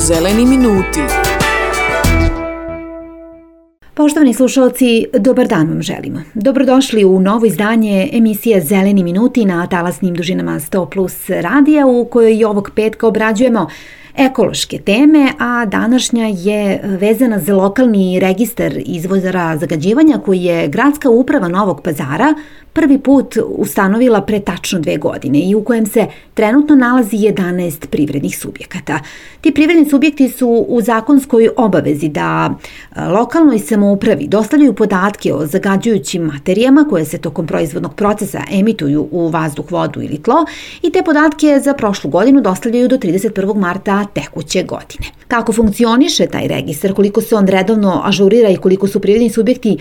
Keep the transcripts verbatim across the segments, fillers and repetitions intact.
Zeleni minuti. Poštovani slušalci, dobar dan vam želimo. Dobrodošli u novo izdanje emisije Zeleni minuti na talasnim dužinama sto plus radija, u kojoj i ovog petka obrađujemo ekološke teme, a današnja je vezana za lokalni registar izvora zagađivanja koji je Gradska uprava Novog Pazara prvi put ustanovila pre tačno dve godine i u kojem se trenutno nalazi jedanaest privrednih subjekata. Ti privredni subjekti su u zakonskoj obavezi da lokalnoj samoupravi dostavljaju podatke o zagađujućim materijama koje se tokom proizvodnog procesa emituju u vazduh, vodu ili tlo i te podatke za prošlu godinu dostavljaju do trideset prvog marta tekuće godine. Kako funkcioniše taj registar, koliko se on redovno ažurira i koliko su privredni subjekti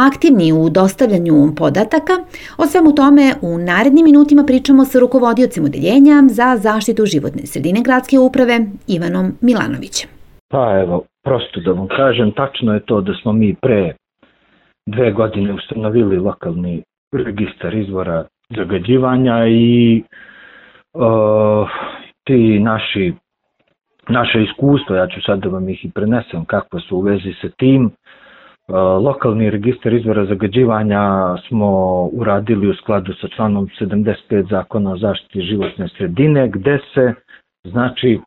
aktivni u dostavljanju podataka, o svemu tome u narednim minutima pričamo sa rukovodiocem odeljenja za zaštitu životne sredine Gradske uprave Ivanom Milanovićem. Pa evo, prosto da vam kažem, tačno je to da smo mi pre dve godine ustanovili lokalni registar izvora zagađivanja i uh, ti naši naše iskustvo, ja ću sad da vam ih i prenesem kakva su u vezi sa tim. Lokalni registar izvora zagađivanja smo uradili u skladu sa članom sedamdeset pet Zakona o zaštiti životne sredine, gde se znači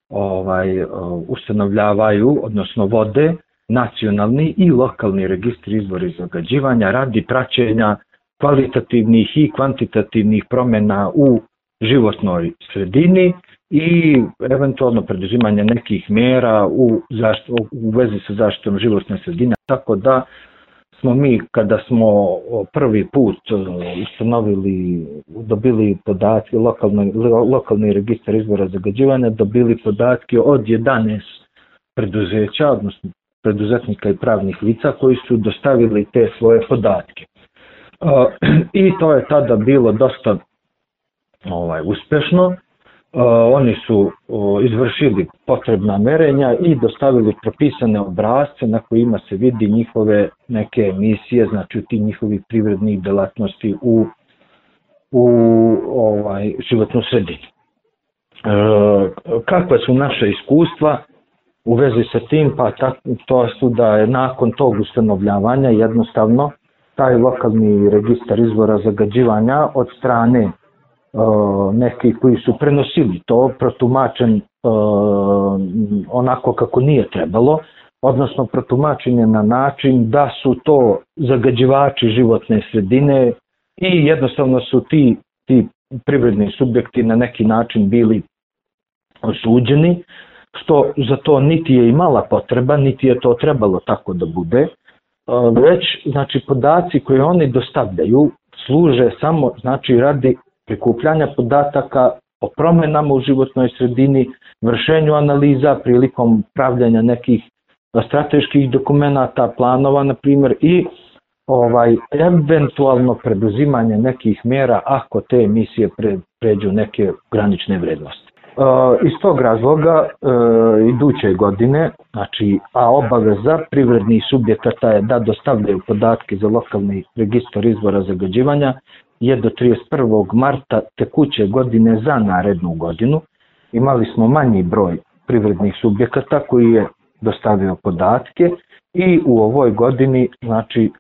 ovaj ustanovljavaju, odnosno vode nacionalni i lokalni registar izvora zagađivanja radi praćenja kvalitativnih i kvantitativnih promjena u životnoj sredini i eventualno preduzimanje nekih mjera u, zaštitu, u vezi sa zaštitom životne sredine. Tako da smo mi, kada smo prvi put ustanovili, dobili podatke, lokalni, lokalni registar izvora zagađivanja, dobili podatke od jedanaest preduzeća, odnosno preduzetnika i pravnih lica koji su dostavili te svoje podatke. I to je tada bilo dosta ovaj, uspešno. Uh, oni su uh, izvršili potrebna merenja i dostavili propisane obrasce na kojima se vidi njihove neke emisije, znači ti njihovi privrednih delatnosti u, u ovaj, životnu sredinu. Uh, kakva su naša iskustva u vezi sa tim? Pa tak, to su da je nakon tog ustanovljavanja jednostavno taj lokalni registar izvora zagađivanja od strane Uh, neki koji su prenosili to protumačen uh, onako kako nije trebalo, odnosno protumačen je na način da su to zagađivači životne sredine i jednostavno su ti, ti privredni subjekti na neki način bili osuđeni, što za to niti je imala potreba, niti je to trebalo tako da bude, uh, već znači podaci koje oni dostavljaju služe samo znači radi prikupljanja podataka o promjenama u životnoj sredini, vršenju analiza prilikom pravljanja nekih strateških dokumenata, planova na primjer i ovaj eventualno preduzimanje nekih mjera ako te emisije pre, pređu neke granične vrednosti. E, iz tog razloga e, iduće godine, znači, a obaveza privrednih subjekata je da dostavljaju podatke za lokalni registar izvora zagađivanja je do trideset prvog marta tekuće godine za narednu godinu. Imali smo manji broj privrednih subjekata koji je dostavio podatke i u ovoj godini znači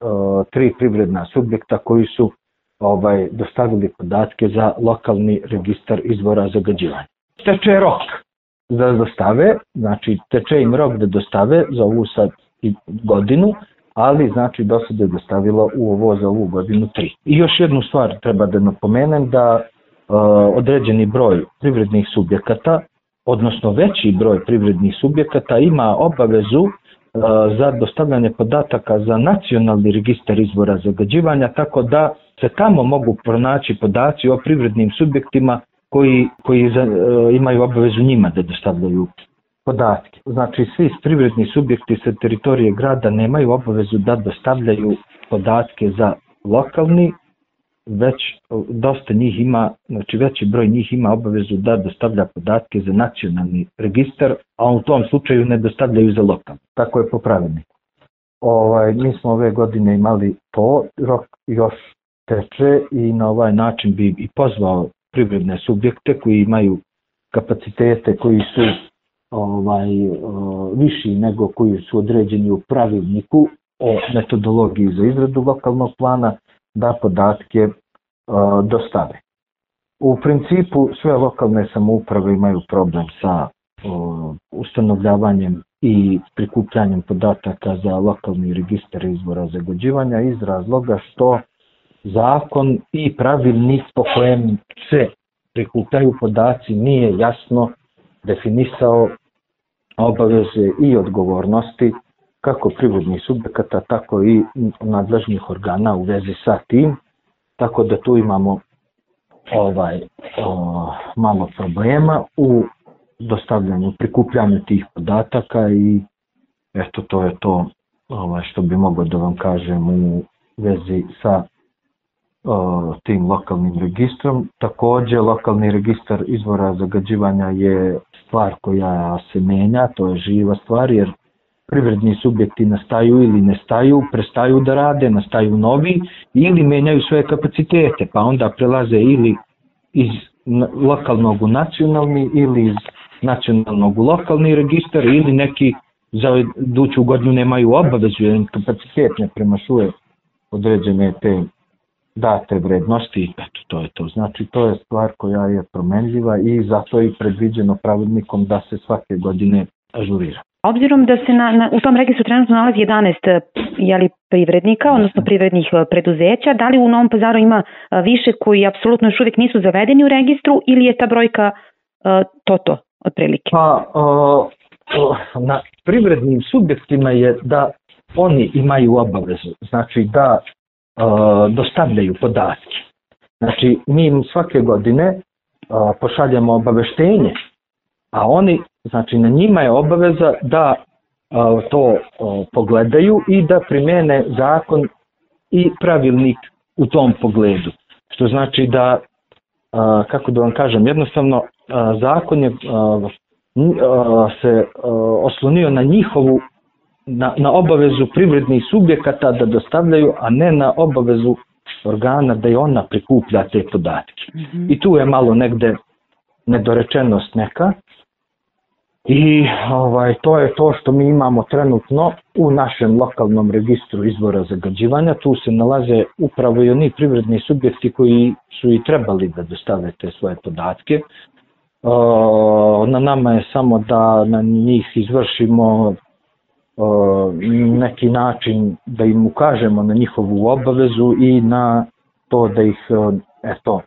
tri privredna subjekta koji su ovaj dostavili podatke za lokalni registar izvora zagađivanja. Teče rok da dostave, znači teče im rok da dostave za ovu sad godinu, ali znači do sada je dostavilo u ovo za ovu godinu tri. I još jednu stvar treba da napomenem da uh, određeni broj privrednih subjekata, odnosno veći broj privrednih subjekata ima obavezu uh, za dostavljanje podataka za nacionalni registar izvora zagađivanja, tako da se tamo mogu pronaći podaci o privrednim subjektima koji, koji za, uh, imaju obavezu njima da dostavljaju podatke. Znači svi privredni subjekti sa teritorije grada nemaju obavezu da dostavljaju podatke za lokalni, već dosta njih ima, znači veći broj njih ima obavezu da dostavlja podatke za nacionalni registar, a u tom slučaju ne dostavljaju za lokalni. Tako je po pravilniku. Ovaj, mi smo ove godine imali to, rok još teče i na ovaj način bi i pozvao privredne subjekte koji imaju kapacitete koji su ovaj, viši nego koji su određeni u pravilniku o metodologiji za izradu lokalnog plana, da podatke dostave. U principu sve lokalne samouprave imaju problem sa ustanovljavanjem i prikupljanjem podataka za lokalni registar izvora zagađivanja iz razloga što zakon i pravilnik po kojem se prikupljaju podaci nije jasno definisao obaveze i odgovornosti kako privrednih subjekata, tako i nadležnih organa u vezi sa tim, tako da tu imamo ovaj o, malo problema u dostavljanju, prikupljanju tih podataka i eto to je to ovaj, što bi mogao da vam kažem u vezi sa o, tim lokalnim registrom. Također lokalni registar izvora zagađivanja je stvar koja se menja, to je živa stvar jer privredni subjekti nastaju ili nestaju, prestaju da rade, nastaju novi ili menjaju svoje kapacitete, pa onda prelaze ili iz lokalnog u nacionalni ili iz nacionalnog u lokalni registar ili neki za iduću godinu nemaju obavezu jer kapacitet ne premašuje određene te date vrednosti. Eto, to je to. Znači to je stvar koja je promenljiva i zato je predviđeno pravilnikom da se svake godine ažurira. Obzirom da se na, na, u tom registru trenutno nalazi jedanaest jeli, privrednika, odnosno privrednih preduzeća, da li u Novom Pazaru ima više koji apsolutno još uvijek nisu zavedeni u registru ili je ta brojka uh, to to, otprilike? Pa, uh, na privrednim subjektima je da oni imaju obavezu, znači da uh, dostavljaju podatke. Znači mi im svake godine uh, pošaljamo obaveštenje, a oni, znači na njima je obaveza da a, to a, pogledaju i da primene zakon i pravilnik u tom pogledu. Što znači da, a, kako da vam kažem, jednostavno a, zakon je a, a, se a, oslonio na njihovu, na, na obavezu privrednih subjekata da dostavljaju, a ne na obavezu organa da i ona prikuplja te podatke. Mm-hmm. I tu je malo negde nedorečenost neka. I ovaj, to je to što mi imamo trenutno u našem lokalnom registru izvora zagađivanja. Tu se nalaze upravo i oni privredni subjekti koji su i trebali da dostave te svoje podatke. O, na nama je samo da na njih izvršimo o, neki način da im ukažemo na njihovu obavezu i na to da ih eto,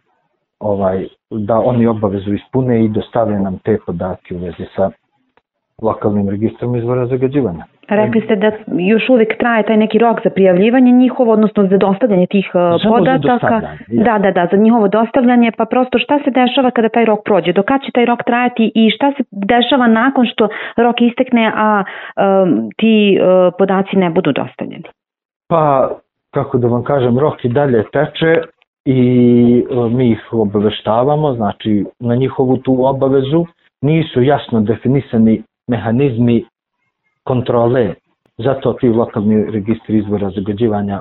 ovaj, da oni obavezu ispune i dostave nam te podatke u vezi sa lokalnim registrom izvora zagađivanja. Rekli ste da još uvijek traje taj neki rok za prijavljivanje njihovo, odnosno za dostavljanje tih Samo podataka. Da, da, da, za njihovo dostavljanje, pa prosto šta se dešava kada taj rok prođe? Do kad će taj rok trajati i šta se dešava nakon što rok istekne, a um, ti uh, podaci ne budu dostavljeni? Pa, kako da vam kažem, rok i dalje teče i uh, mi ih obaveštavamo, znači na njihovu tu obavezu nisu jasno definisani mehanizmi kontrole, zato ti lokalni registri izvora zagađivanja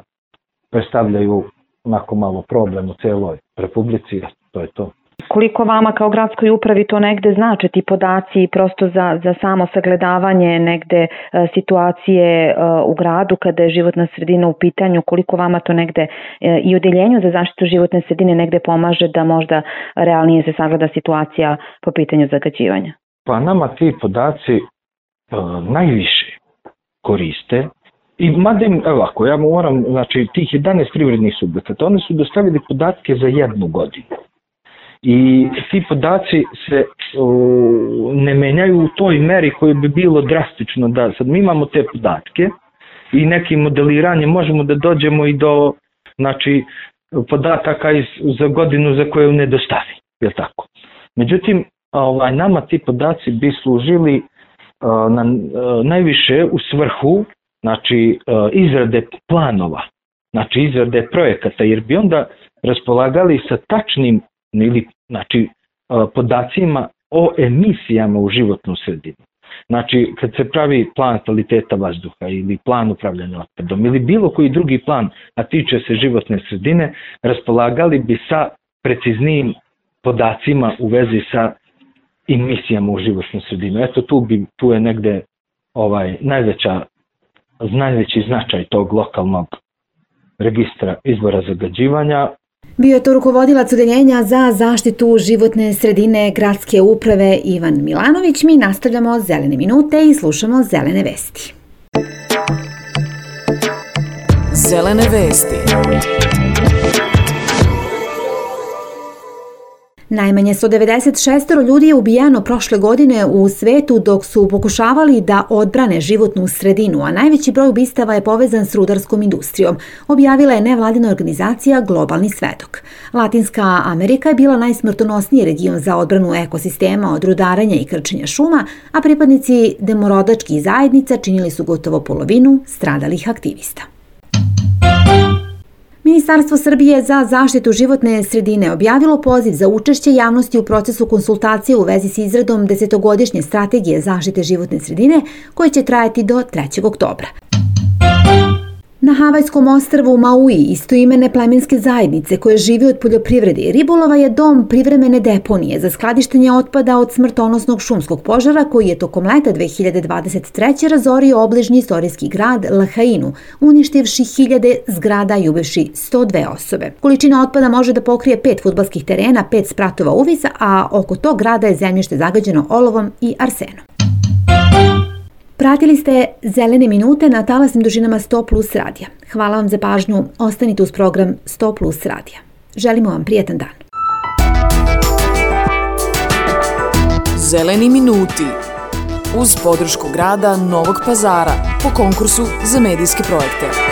predstavljaju onako malo problem u celoj Republici, to je to. Koliko vama kao gradskoj upravi to negde znači ti podaci prosto za, za samo sagledavanje negde e, situacije e, u gradu kada je životna sredina u pitanju, koliko vama to negde e, i odeljenju za zaštitu životne sredine negde pomaže da možda realnije se sagleda situacija po pitanju zagađivanja? Pa nama ti podaci e, najviše koriste i mada im, evo ako ja moram, znači tih jedanaest privrednih subjekata, oni su dostavili podatke za jednu godinu. I ti podaci se uh, ne menjaju u toj meri koji bi bilo drastično da sad mi imamo te podatke i nekim modeliranjem možemo da dođemo i do znači, podataka iz, za godinu za koju ne dostavi, je tako. Međutim, ovaj, nama ti podaci bi služili uh, na, uh, najviše u svrhu znači, uh, izrade planova, znači izrade projekata, jer bi onda raspolagali sa tačnim ili znači podacima o emisijama u životnu sredinu. Znači kad se pravi plan kvaliteta vazduha ili plan upravljanja otpadom ili bilo koji drugi plan, a tiče se životne sredine, raspolagali bi sa preciznijim podacima u vezi sa emisijama u životnu sredinu. Eto tu, bi, tu je negde ovaj, najveća, najveći značaj tog lokalnog registra izvora zagađivanja. Bio je to rukovodilac Odeljenja za zaštitu životne sredine gradske uprave Ivan Milanović. Mi nastavljamo Zelene minute i slušamo Zelene vesti. Zelene vesti. Najmanje sto devedeset šest ljudi je ubijeno prošle godine u svetu dok su pokušavali da odbrane životnu sredinu, a najveći broj ubistava je povezan s rudarskom industrijom, objavila je nevladina organizacija Globalni svedok. Latinska Amerika je bila najsmrtonosniji region za odbranu ekosistema od rudarenja i krčenja šuma, a pripadnici demorodačkih zajednica činili su gotovo polovinu stradalih aktivista. Ministarstvo Srbije za zaštitu životne sredine objavilo poziv za učešće javnosti u procesu konsultacije u vezi s izradom desetogodišnje strategije zaštite životne sredine koje će trajati do trećeg oktobra. Na Havajskom ostrvu Maui istoimene plemenske zajednice koje žive od poljoprivrede i ribolova je dom privremene deponije za skladištenje otpada od smrtonosnog šumskog požara koji je tokom leta dve hiljade dvadeset treće razorio obližnji istorijski grad Lahainu, uništivši hiljade zgrada i ubivši sto dve osobe. Količina otpada može da pokrije pet fudbalskih terena, pet spratova uvisa, a oko tog grada je zemljište zagađeno olovom i arsenom. Pratili ste Zelene minute na talasnim dužinama sto plus radija. Hvala vam za pažnju, ostanite uz program sto plus radija. Želimo vam prijetan dan. Zeleni minuti uz podršku grada Novog Pazara po konkursu za medijske projekte.